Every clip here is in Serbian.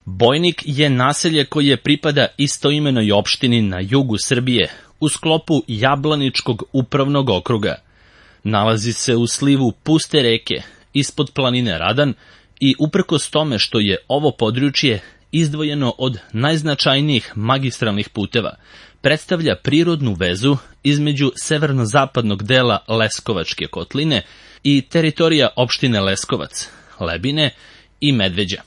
Bojnik je naselje koje pripada istoimenoj opštini na jugu Srbije, u sklopu Jablaničkog upravnog okruga. Nalazi se u slivu puste reke, ispod planine Radan, i uprkos tome što je ovo područje izdvojeno od najznačajnijih magistralnih puteva, predstavlja prirodnu vezu između severno-zapadnog dela Leskovačke kotline i teritorija opštine Leskovac, Lebine i Medveđa.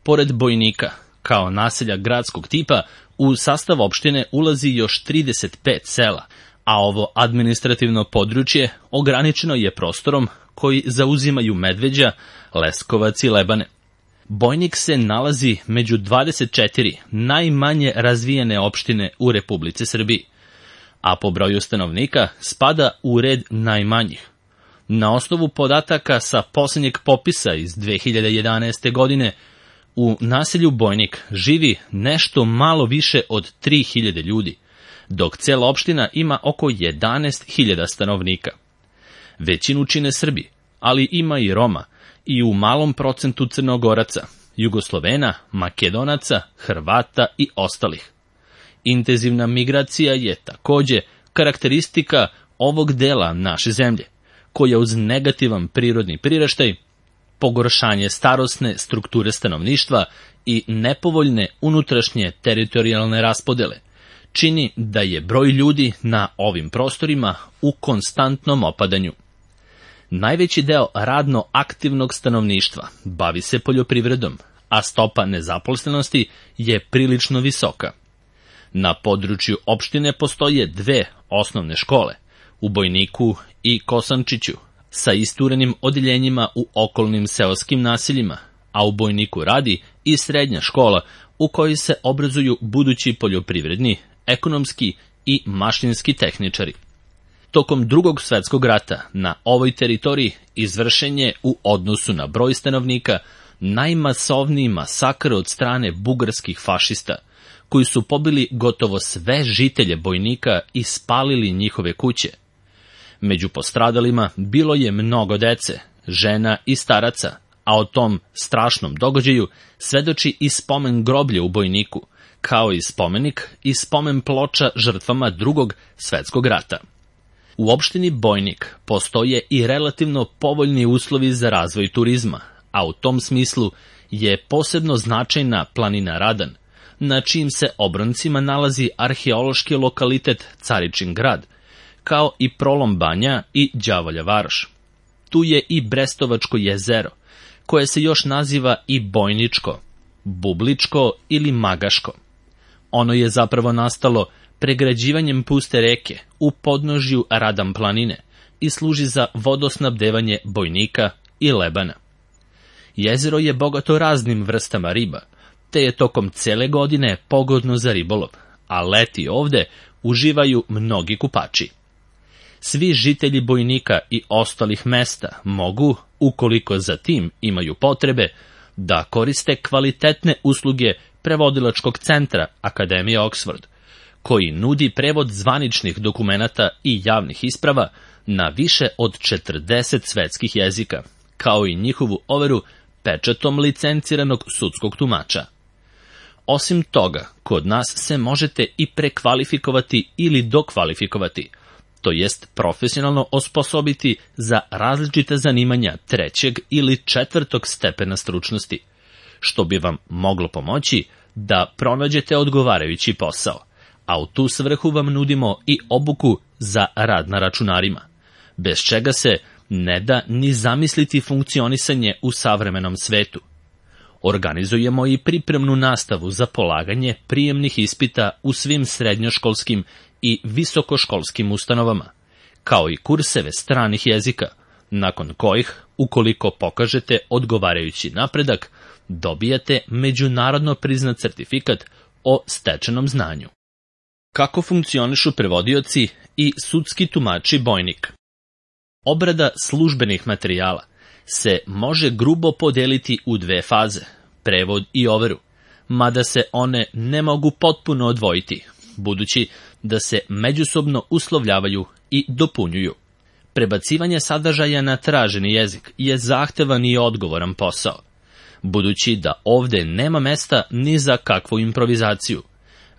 Pored Bojnika, kao naselja gradskog tipa, u sastav opštine ulazi još 35 sela, a ovo administrativno područje ograničeno je prostorom koji zauzimaju Medveđa, Leskovac i Lebane. Bojnik se nalazi među 24 najmanje razvijene opštine u Republici Srbiji, a po broju stanovnika spada u red najmanjih. Na osnovu podataka sa posljednjeg popisa iz 2011. godine, u naselju Bojnik živi nešto malo više od 3000 ljudi, dok cela opština ima oko 11.000 stanovnika. Većinu čine Srbi, ali ima i Roma i u malom procentu Crnogoraca, Jugoslovena, Makedonaca, Hrvata i ostalih. Intenzivna migracija je takođe karakteristika ovog dela naše zemlje, koja uz negativan prirodni priraštaj, pogoršanje starosne strukture stanovništva i nepovoljne unutrašnje teritorijalne raspodele, čini da je broj ljudi na ovim prostorima u konstantnom opadanju. Najveći deo radno aktivnog stanovništva bavi se poljoprivredom, a stopa nezaposlenosti je prilično visoka. Na području opštine postoje 2 osnovne škole, u Bojniku i Kosančiću, sa isturenim odeljenjima u okolnim seoskim naseljima, a u Bojniku radi i srednja škola u kojoj se obrazuju budući poljoprivredni, ekonomski i mašinski tehničari. Tokom Drugog svetskog rata na ovoj teritoriji izvršen je u odnosu na broj stanovnika najmasovniji masakr od strane bugarskih fašista, koji su pobili gotovo sve žitelje Bojnika i spalili njihove kuće. Među postradalima bilo je mnogo dece, žena i staraca, a o tom strašnom događaju svedoči i spomen groblje u Bojniku, kao i spomenik i spomen ploča žrtvama Drugog svetskog rata. U opštini Bojnik postoje i relativno povoljni uslovi za razvoj turizma, a u tom smislu je posebno značajna planina Radan, na čijim se obroncima nalazi arheološki lokalitet Caričin grad, kao i Prolom banja i Đavolja varoš. Tu je i Brestovačko jezero, koje se još naziva i Bojničko, Bubličko ili Magaško. Ono je zapravo nastalo pregrađivanjem puste reke u podnožju Radan planine i služi za vodosnabdevanje Bojnika i Lebana. Jezero je bogato raznim vrstama riba, te je tokom cele godine pogodno za ribolov, a leti ovde uživaju mnogi kupači. Svi žitelji Bojnika i ostalih mesta mogu, ukoliko za tim imaju potrebe, da koriste kvalitetne usluge prevodilačkog centra Akademije Oxford, koji nudi prevod zvaničnih dokumenata i javnih isprava na više od 40 svetskih jezika, kao i njihovu overu pečatom licenciranog sudskog tumača. Osim toga, kod nas se možete i prekvalifikovati ili dokvalifikovati, to jest profesionalno osposobiti za različite zanimanja 3. ili 4. stepena stručnosti, što bi vam moglo pomoći da pronađete odgovarajući posao, a u tu svrhu vam nudimo i obuku za rad na računarima, bez čega se ne da ni zamisliti funkcionisanje u savremenom svetu. Organizujemo i pripremnu nastavu za polaganje prijemnih ispita u svim srednjoškolskim i visokoškolskim ustanovama, kao i kurseve stranih jezika, nakon kojih, ukoliko pokažete odgovarajući napredak, dobijate međunarodno priznat certifikat o stečenom znanju. Kako funkcionišu prevodioci i sudski tumači Bojnik? Obrada službenih materijala se može grubo podeliti u 2 faze, prevod i overu, mada se one ne mogu potpuno odvojiti, budući da se međusobno uslovljavaju i dopunjuju. Prebacivanje sadržaja na traženi jezik je zahtevan i odgovoran posao, budući da ovde nema mesta ni za kakvu improvizaciju,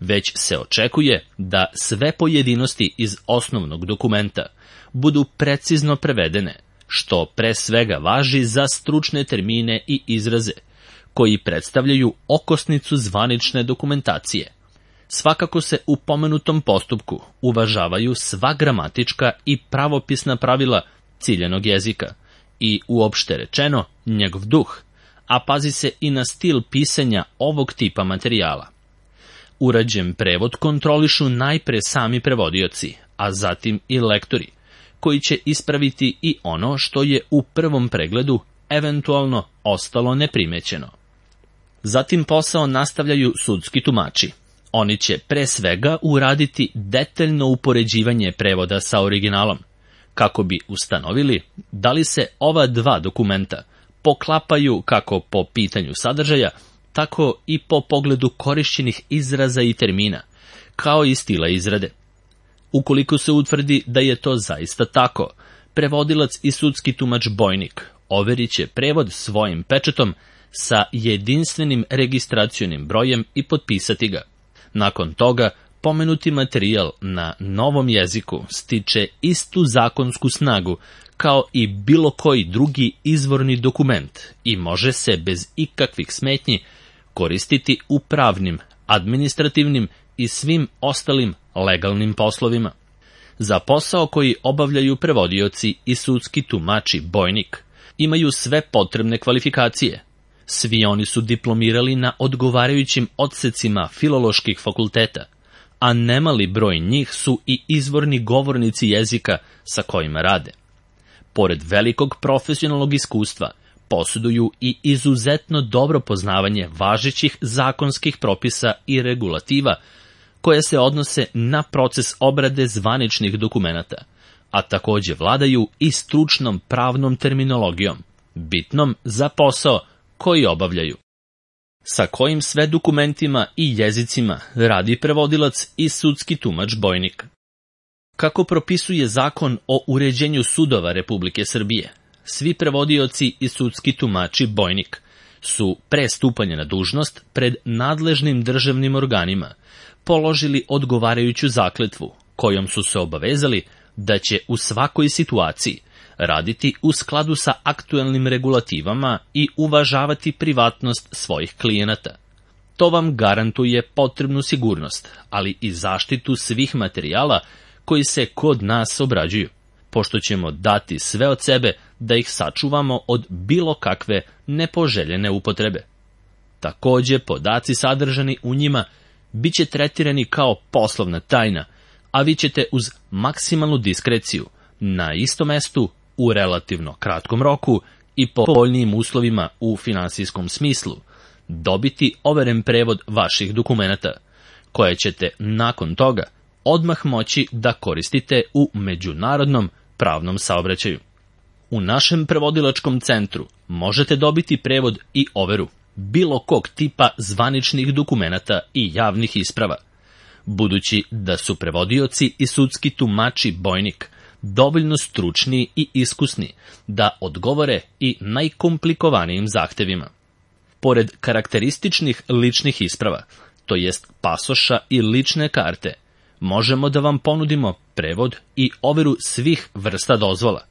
već se očekuje da sve pojedinosti iz osnovnog dokumenta budu precizno prevedene, što pre svega važi za stručne termine i izraze, koji predstavljaju okosnicu zvanične dokumentacije. Svakako se u pomenutom postupku uvažavaju sva gramatička i pravopisna pravila ciljanog jezika i, uopšte rečeno, njegov duh, a pazi se i na stil pisanja ovog tipa materijala. Urađen prevod kontrolišu najpre sami prevodioci, a zatim i lektori, koji će ispraviti i ono što je u prvom pregledu eventualno ostalo neprimećeno. Zatim posao nastavljaju sudski tumači. Oni će pre svega uraditi detaljno upoređivanje prevoda sa originalom, kako bi ustanovili da li se ova dva dokumenta poklapaju kako po pitanju sadržaja, tako i po pogledu korišćenih izraza i termina, kao i stila izrade. Ukoliko se utvrdi da je to zaista tako, prevodilac i sudski tumač bojnik overit će prevod svojim pečatom sa jedinstvenim registracionim brojem i potpisati ga. Nakon toga, pomenuti materijal na novom jeziku stiče istu zakonsku snagu kao i bilo koji drugi izvorni dokument i može se bez ikakvih smetnji koristiti u pravnim, administrativnim i svim ostalim legalnim poslovima. Za posao koji obavljaju prevodioci i sudski tumači bojnik imaju sve potrebne kvalifikacije. Svi oni su diplomirali na odgovarajućim odsecima filoloških fakulteta, a nemali broj njih su i izvorni govornici jezika sa kojima rade. Pored velikog profesionalnog iskustva, posjeduju i izuzetno dobro poznavanje važećih zakonskih propisa i regulativa koje se odnose na proces obrade zvaničnih dokumenata, a takođe vladaju i stručnom pravnom terminologijom, bitnom za posao koji obavljaju. Sa kojim sve dokumentima i jezicima radi prevodilac i sudski tumač bojnik? Kako propisuje Zakon o uređenju sudova Republike Srbije, svi prevodioci i sudski tumači bojnik su pre stupanja na dužnost pred nadležnim državnim organima položili odgovarajuću zakletvu, kojom su se obavezali da će u svakoj situaciji raditi u skladu sa aktuelnim regulativama i uvažavati privatnost svojih klijenata. To vam garantuje potrebnu sigurnost, ali i zaštitu svih materijala koji se kod nas obrađuju, pošto ćemo dati sve od sebe da ih sačuvamo od bilo kakve nepoželjene upotrebe. Takođe, podaci sadržani u njima bit će tretirani kao poslovna tajna, a vi ćete uz maksimalnu diskreciju na istom mestu u relativno kratkom roku i po povoljnijim uslovima u finansijskom smislu dobiti overen prevod vaših dokumenata, koje ćete nakon toga odmah moći da koristite u međunarodnom pravnom saobraćaju. U našem prevodilačkom centru možete dobiti prevod i overu bilo kog tipa zvaničnih dokumenata i javnih isprava, budući da su prevodioci i sudski tumači bojnik dovoljno stručni i iskusni da odgovore i najkomplikovanijim zahtevima. Pored karakterističnih ličnih isprava, to jest pasoša i lične karte, možemo da vam ponudimo prevod i overu svih vrsta dozvola,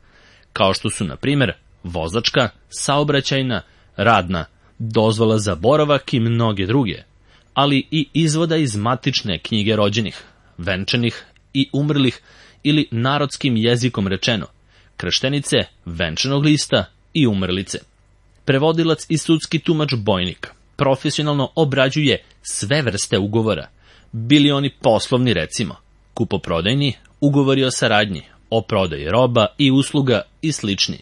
kao što su, na primjer, vozačka, saobraćajna, radna, dozvola za boravak i mnoge druge, ali i izvoda iz matične knjige rođenih, venčanih i umrlih ili narodskim jezikom rečeno, krštenice, venčanog lista i umrlice. Prevodilac i sudski tumač bojnik profesionalno obrađuje sve vrste ugovora, bili oni poslovni, recimo, kupoprodajni, ugovori o saradnji, o prodaji roba i usluga i slični,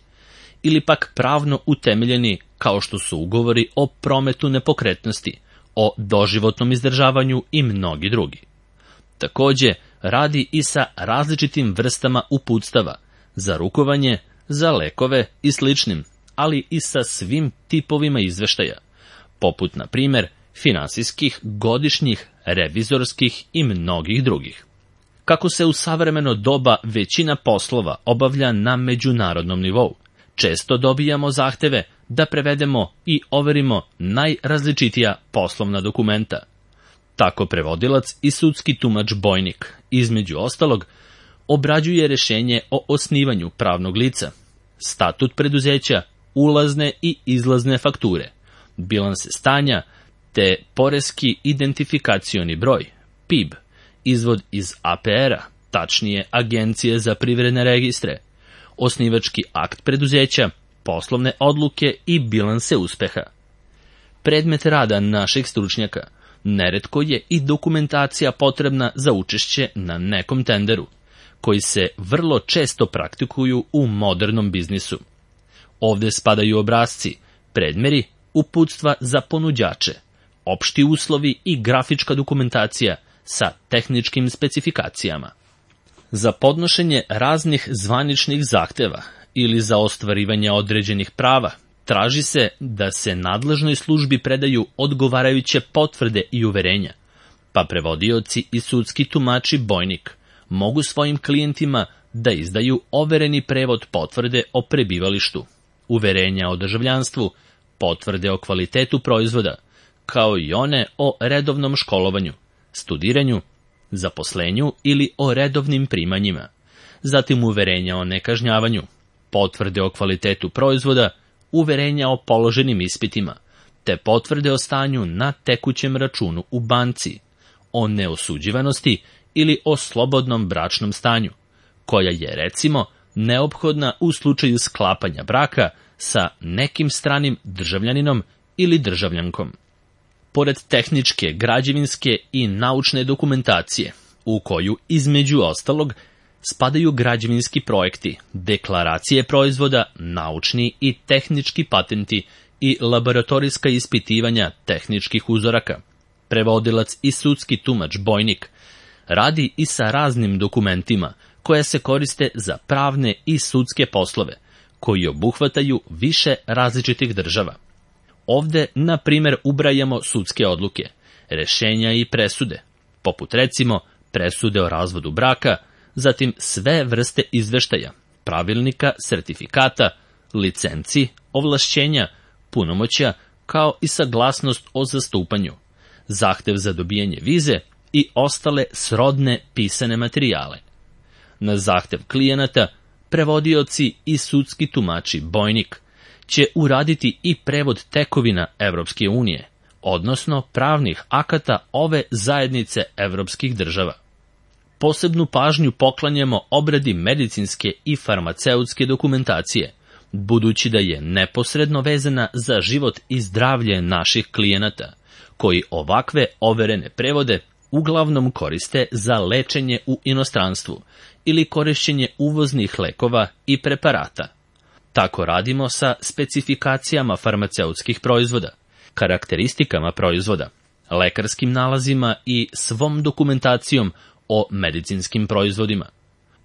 ili pak pravno utemeljeni kao što su ugovori o prometu nepokretnosti, o doživotnom izdržavanju i mnogi drugi. Takođe, radi i sa različitim vrstama uputstava, za rukovanje, za lekove i sličnim, ali i sa svim tipovima izveštaja, poput, na primjer, finansijskih, godišnjih, revizorskih i mnogih drugih. Kako se u savremeno doba većina poslova obavlja na međunarodnom nivou, često dobijamo zahteve da prevedemo i overimo najrazličitija poslovna dokumenta. Tako prevodilac i sudski tumač bojnik, između ostalog, obrađuje rešenje o osnivanju pravnog lica, statut preduzeća, ulazne i izlazne fakture, bilanse stanja, te poreski identifikacioni broj, PIB, izvod iz APR-a, tačnije Agencije za privredne registre, osnivački akt preduzeća, poslovne odluke i bilanse uspeha. Predmet rada naših stručnjaka neretko je i dokumentacija potrebna za učešće na nekom tenderu, koji se vrlo često praktikuju u modernom biznisu. Ovde spadaju obrasci, predmeri, uputstva za ponuđače, opšti uslovi i grafička dokumentacija sa tehničkim specifikacijama. Za podnošenje raznih zvaničnih zahteva ili za ostvarivanje određenih prava traži se da se nadležnoj službi predaju odgovarajuće potvrde i uverenja, pa prevodioci i sudski tumači bojnik mogu svojim klijentima da izdaju overeni prevod potvrde o prebivalištu, uverenja o državljanstvu, potvrde o kvalitetu proizvoda, kao i one o redovnom školovanju, studiranju, zaposlenju ili o redovnim primanjima, zatim uverenja o nekažnjavanju, potvrde o kvalitetu proizvoda, uverenja o položenim ispitima, te potvrde o stanju na tekućem računu u banci, o neosuđivanosti ili o slobodnom bračnom stanju, koja je, recimo, neophodna u slučaju sklapanja braka sa nekim stranim državljaninom ili državljankom. Pored tehničke, građevinske i naučne dokumentacije, u koju, između ostalog, spadaju građevinski projekti, deklaracije proizvoda, naučni i tehnički patenti i laboratorijska ispitivanja tehničkih uzoraka. Prevodilac i sudski tumač bojnik radi i sa raznim dokumentima koja se koriste za pravne i sudske poslove, koji obuhvataju više različitih država. Ovde, na primer, ubrajamo sudske odluke, rešenja i presude, poput recimo presude o razvodu braka, zatim sve vrste izveštaja, pravilnika, sertifikata, licenci, ovlašćenja, punomoćja, kao i saglasnost o zastupanju, zahtev za dobijanje vize i ostale srodne pisane materijale. Na zahtev klijenata, prevodioci i sudski tumači bojnik će uraditi i prevod tekovina Evropske unije, odnosno pravnih akata ove zajednice evropskih država. Posebnu pažnju poklanjamo obradi medicinske i farmaceutske dokumentacije, budući da je neposredno vezana za život i zdravlje naših klijenata, koji ovakve overene prevode uglavnom koriste za lečenje u inostranstvu ili korišćenje uvoznih lekova i preparata. Tako radimo sa specifikacijama farmaceutskih proizvoda, karakteristikama proizvoda, lekarskim nalazima i svom dokumentacijom o medicinskim proizvodima.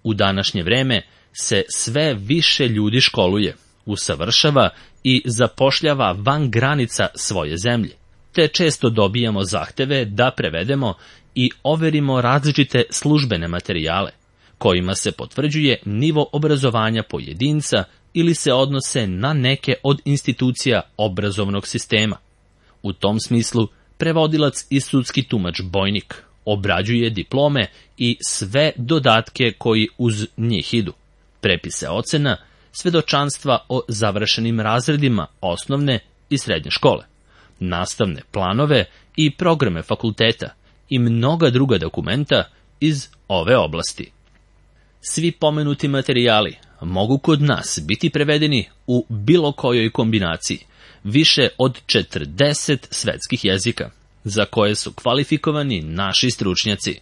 U današnje vreme se sve više ljudi školuje, usavršava i zapošljava van granica svoje zemlje, te često dobijamo zahteve da prevedemo i overimo različite službene materijale, kojima se potvrđuje nivo obrazovanja pojedinca ili se odnose na neke od institucija obrazovnog sistema. U tom smislu, prevodilac i sudski tumač bojnik obrađuje diplome i sve dodatke koji uz njih idu, prepise ocena, svedočanstva o završenim razredima osnovne i srednje škole, nastavne planove i programe fakulteta i mnoga druga dokumenta iz ove oblasti. Svi pomenuti materijali mogu kod nas biti prevedeni u bilo kojoj kombinaciji, više od 40 svetskih jezika, za koje su kvalifikovani naši stručnjaci.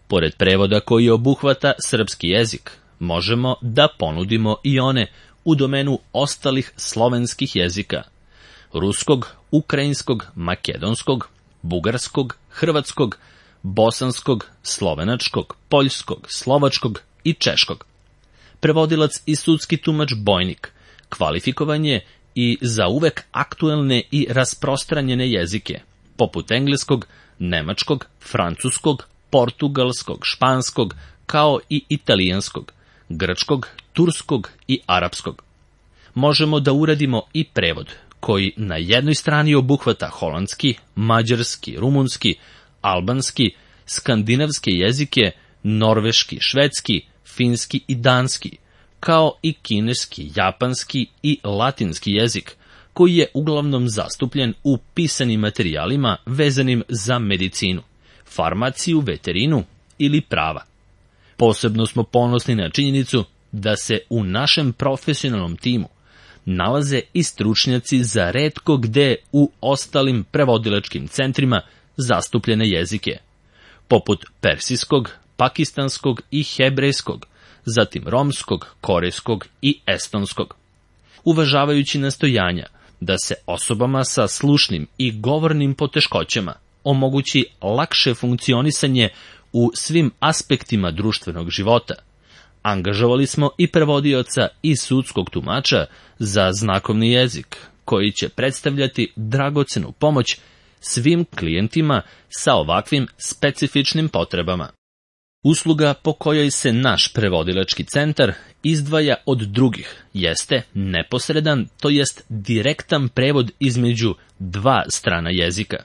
Pored prevoda koji obuhvata srpski jezik, možemo da ponudimo i one u domenu ostalih slovenskih jezika: ruskog, ukrajinskog, makedonskog, bugarskog, hrvatskog, bosanskog, slovenačkog, poljskog, slovačkog i češkog. Prevodilac i sudski tumač bojnik kvalifikovan je i za uvek aktuelne i rasprostranjene jezike, poput engleskog, nemačkog, francuskog, portugalskog, španskog, kao i italijanskog, grčkog, turskog i arapskog. možemo da uradimo i prevod, koji na jednoj strani obuhvata holandski, mađarski, rumunski, albanski, skandinavske jezike, norveški, švedski, finski i danski, kao i kineski, japanski i latinski jezik, koji je uglavnom zastupljen u pisanim materijalima vezanim za medicinu, farmaciju, veterinu ili prava. Posebno smo ponosni na činjenicu da se u našem profesionalnom timu nalaze i stručnjaci za retko gde u ostalim prevodilačkim centrima zastupljene jezike, poput persijskog, pakistanskog i hebrejskog, zatim romskog, korejskog i estonskog. Uvažavajući nastojanja da se osobama sa slušnim i govornim poteškoćama omogući lakše funkcionisanje u svim aspektima društvenog života, angažovali smo i prevodioca i sudskog tumača za znakovni jezik, koji će predstavljati dragocenu pomoć svim klijentima sa ovakvim specifičnim potrebama. Usluga po kojoj se naš prevodilački centar izdvaja od drugih jeste neposredan, to jest direktan prevod između dva strana jezika.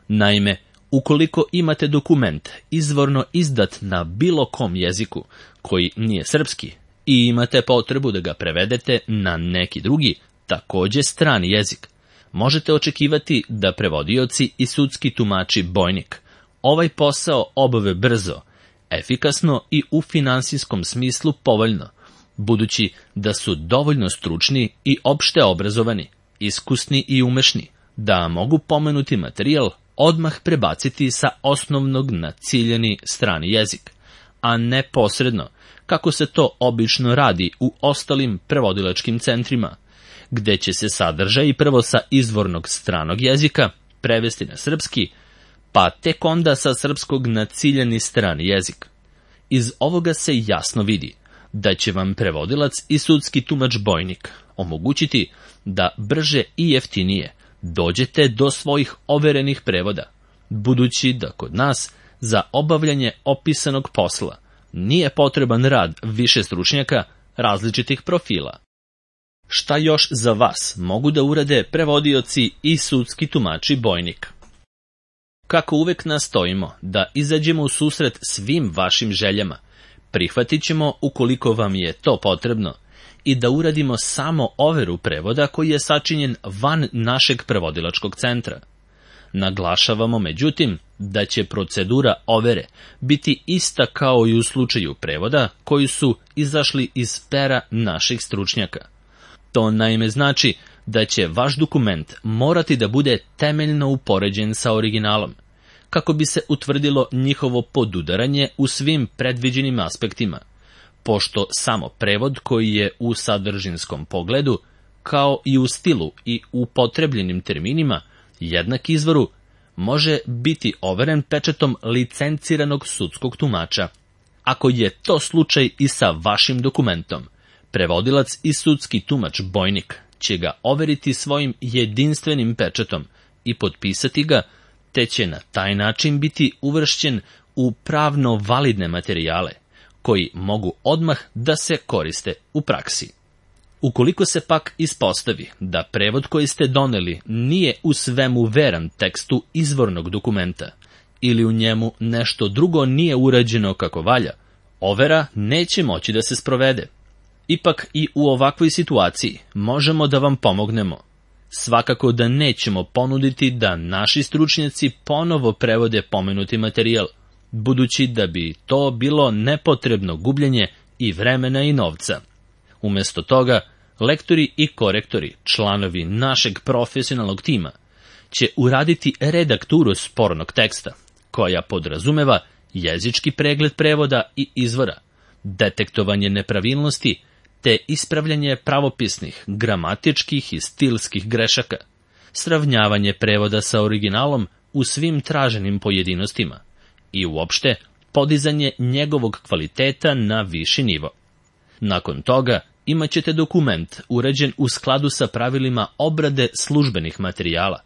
Naime, ukoliko imate dokument izvorno izdat na bilo kom jeziku koji nije srpski i imate potrebu da ga prevedete na neki drugi, takođe strani jezik, možete očekivati da prevodioci i sudski tumači bojnik ovaj posao obave brzo, efikasno i u finansijskom smislu povoljno, budući da su dovoljno stručni i opšte obrazovani, iskusni i umešni, da mogu pomenuti materijal odmah prebaciti sa osnovnog na ciljani strani jezik, a ne posredno, kako se to obično radi u ostalim prevodilačkim centrima, gde će se sadržaj prvo sa izvornog stranog jezika prevesti na srpski, pa tek onda sa srpskog na ciljani strani jezik. Iz ovoga se jasno vidi da će vam prevodilac i sudski tumač bojnik omogućiti da brže i jeftinije dođete do svojih overenih prevoda, budući da kod nas za obavljanje opisanog posla nije potreban rad više stručnjaka različitih profila. Šta još za vas mogu da urade prevodioci i sudski tumači bojnik? Kako uvek nastojimo da izađemo u susret svim vašim željama, prihvatit ćemo ukoliko vam je to potrebno i da uradimo samo overu prevoda koji je sačinjen van našeg prevodilačkog centra. Naglašavamo, međutim, da će procedura overe biti ista kao i u slučaju prevoda koji su izašli iz pera naših stručnjaka. To naime znači da će vaš dokument morati da bude temeljno upoređen sa originalom, kako bi se utvrdilo njihovo podudaranje u svim predviđenim aspektima, pošto samo prevod koji je u sadržinskom pogledu, kao i u stilu i upotrebljenim terminima, jednak izvoru, može biti overen pečatom licenciranog sudskog tumača. Ako je to slučaj i sa vašim dokumentom, prevodilac i sudski tumač bojnik će ga overiti svojim jedinstvenim pečatom i potpisati ga, te će na taj način biti uvršćen u pravno validne materijale, koji mogu odmah da se koriste u praksi. Ukoliko se pak ispostavi da prevod koji ste doneli nije u svemu veran tekstu izvornog dokumenta ili u njemu nešto drugo nije urađeno kako valja, overa neće moći da se sprovede. Ipak i u ovakvoj situaciji možemo da vam pomognemo. Svakako da nećemo ponuditi da naši stručnjaci ponovo prevode pomenuti materijal, budući da bi to bilo nepotrebno gubljenje i vremena i novca. Umesto toga, lektori i korektori, članovi našeg profesionalnog tima, će uraditi redakturu spornog teksta, koja podrazumeva jezički pregled prevoda i izvora, detektovanje nepravilnosti, te ispravljanje pravopisnih, gramatičkih i stilskih grešaka, sravnjavanje prevoda sa originalom u svim traženim pojedinostima i uopšte podizanje njegovog kvaliteta na viši nivo. Nakon toga imaćete dokument uređen u skladu sa pravilima obrade službenih materijala,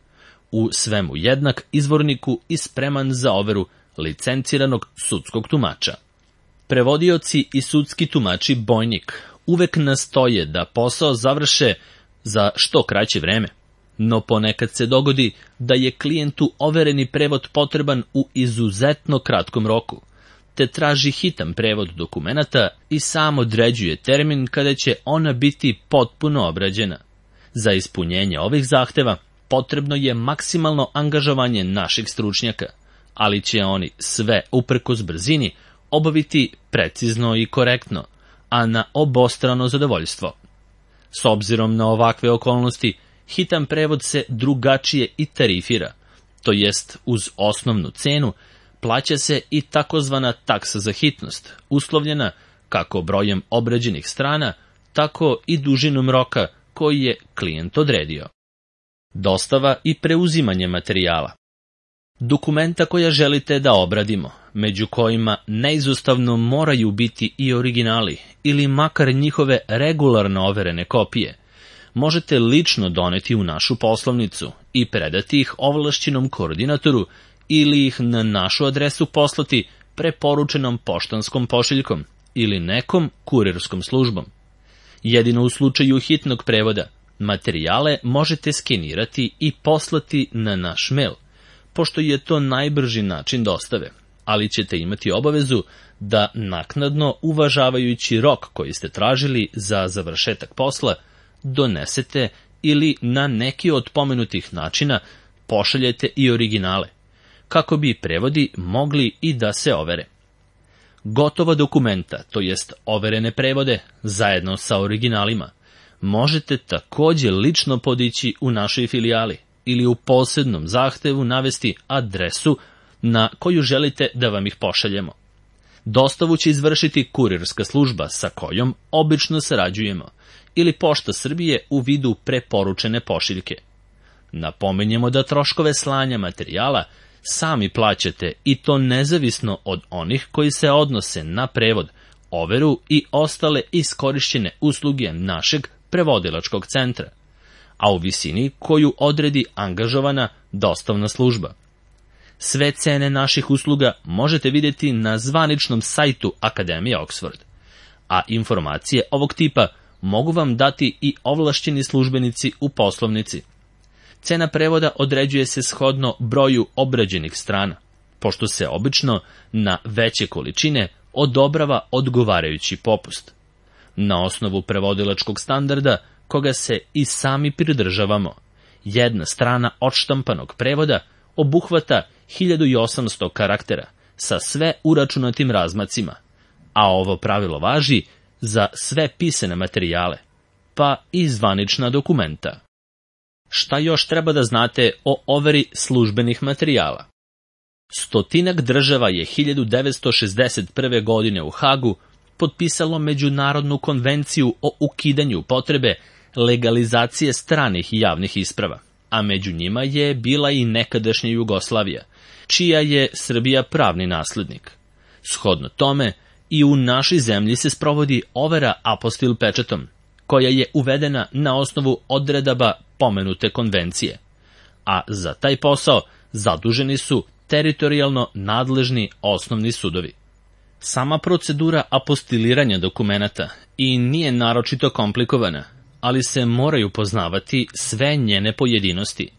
u svemu jednak izvorniku i spreman za overu licenciranog sudskog tumača. Prevodioci i sudski tumači bojnik uvek nastoje da posao završe za što kraće vreme, no ponekad se dogodi da je klijentu overeni prevod potreban u izuzetno kratkom roku, te traži hitan prevod dokumenata i sam određuje termin kada će ona biti potpuno obrađena. Za ispunjenje ovih zahteva potrebno je maksimalno angažovanje naših stručnjaka, ali će oni sve uprkos brzini obaviti precizno i korektno, a na obostrano zadovoljstvo. S obzirom na ovakve okolnosti, hitan prevod se drugačije i tarifira, to jest uz osnovnu cenu plaća se i takozvana taksa za hitnost, uslovljena kako brojem obrađenih strana, tako i dužinom roka koji je klijent odredio. Dostava i preuzimanje materijala. Dokumenta koja želite da obradimo, među kojima neizostavno moraju biti i originali ili makar njihove regularno overene kopije, možete lično doneti u našu poslovnicu i predati ih ovlašćenom koordinatoru ili ih na našu adresu poslati preporučenom poštanskom pošiljkom ili nekom kurirskom službom. Jedino u slučaju hitnog prevoda, materijale možete skenirati i poslati na naš mail, pošto je to najbrži način dostave, ali ćete imati obavezu da naknadno, uvažavajući rok koji ste tražili za završetak posla, donesete ili na neki od pomenutih načina pošaljete i originale, kako bi prevodi mogli i da se overe. Gotova dokumenta, to jest overene prevode, zajedno sa originalima, možete takođe lično podići u našoj filijali ili u posebnom zahtevu navesti adresu na koju želite da vam ih pošaljemo. Dostavu će izvršiti kurirska služba sa kojom obično sarađujemo ili Pošta Srbije u vidu preporučene pošiljke. Napominjemo da troškove slanja materijala sami plaćate i to nezavisno od onih koji se odnose na prevod, overu i ostale iskorišćene usluge našeg prevodilačkog centra, a u visini koju odredi angažovana dostavna služba. Sve cene naših usluga možete vidjeti na zvaničnom sajtu Akademije Oxford, a informacije ovog tipa mogu vam dati i ovlašćeni službenici u poslovnici. Cena prevoda određuje se shodno broju obrađenih strana, pošto se obično na veće količine odobrava odgovarajući popust. Na osnovu prevodilačkog standarda, koga se i sami pridržavamo, jedna strana odštampanog prevoda obuhvata 1800 karaktera sa sve uračunatim razmacima, a ovo pravilo važi za sve pisane materijale, pa i zvanična dokumenta. Šta još treba da znate o overi službenih materijala? 100 država je 1961. godine u Hagu potpisalo Međunarodnu konvenciju o ukidanju potrebe legalizacije stranih javnih isprava, a među njima je bila i nekadašnja Jugoslavija, čija je Srbija pravni naslednik. Shodno tome, i u našoj zemlji se sprovodi overa apostil pečatom, koja je uvedena na osnovu odredaba pomenute konvencije, a za taj posao zaduženi su teritorijalno nadležni osnovni sudovi. Sama procedura apostiliranja dokumenata i nije naročito komplikovana, ali se moraju poznavati sve njene pojedinosti.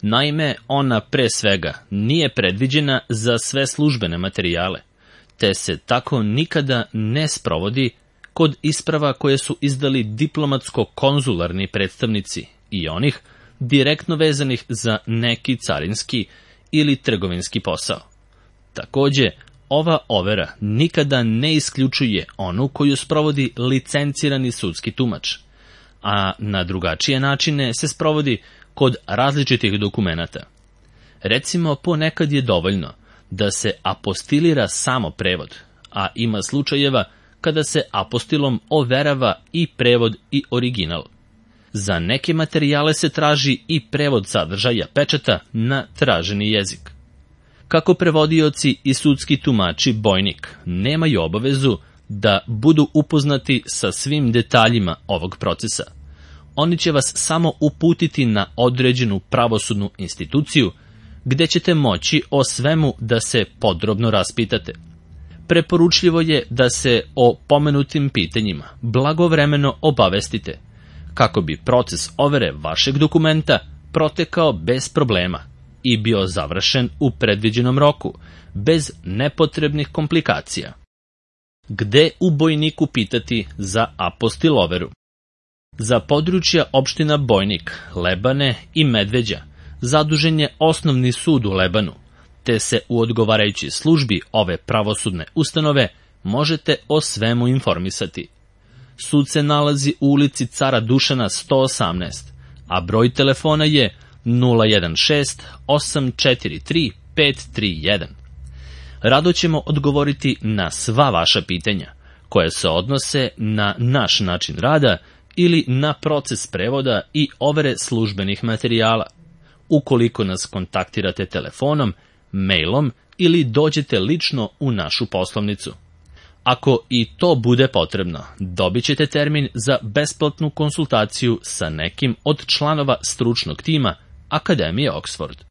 Naime, ona pre svega nije predviđena za sve službene materijale, te se tako nikada ne sprovodi kod isprava koje su izdali diplomatsko-konzularni predstavnici i onih direktno vezanih za neki carinski ili trgovinski posao. Takođe, ova overa nikada ne isključuje onu koju sprovodi licencirani sudski tumač, a na drugačije načine se sprovodi kod različitih dokumenata. Recimo, ponekad je dovoljno da se apostilira samo prevod, a ima slučajeva kada se apostilom overava i prevod i original. Za neke materijale se traži i prevod sadržaja pečata na traženi jezik. Kako prevodioci i sudski tumači bojnik nemaju obavezu da budu upoznati sa svim detaljima ovog procesa, oni će vas samo uputiti na određenu pravosudnu instituciju gde ćete moći o svemu da se podrobno raspitate. preporučljivo je da se o pomenutim pitanjima blagovremeno obavestite, kako bi proces overe vašeg dokumenta protekao bez problema i bio završen u predviđenom roku, bez nepotrebnih komplikacija. Gde u Bojniku pitati za apostiloveru? Za područja opština Bojnik, Lebane i Medveđa zadužen je Osnovni sud u Lebanu, te se u odgovarajućoj službi ove pravosudne ustanove možete o svemu informisati. Sud se nalazi u ulici Cara Dušana 118, a broj telefona je 016 843 531. Rado ćemo odgovoriti na sva vaša pitanja, koje se odnose na naš način rada ili na proces prevoda i overe službenih materijala, ukoliko nas kontaktirate telefonom, mailom ili dođete lično u našu poslovnicu. Ako i to bude potrebno, dobit ćete termin za besplatnu konsultaciju sa nekim od članova stručnog tima Akademije Oxford.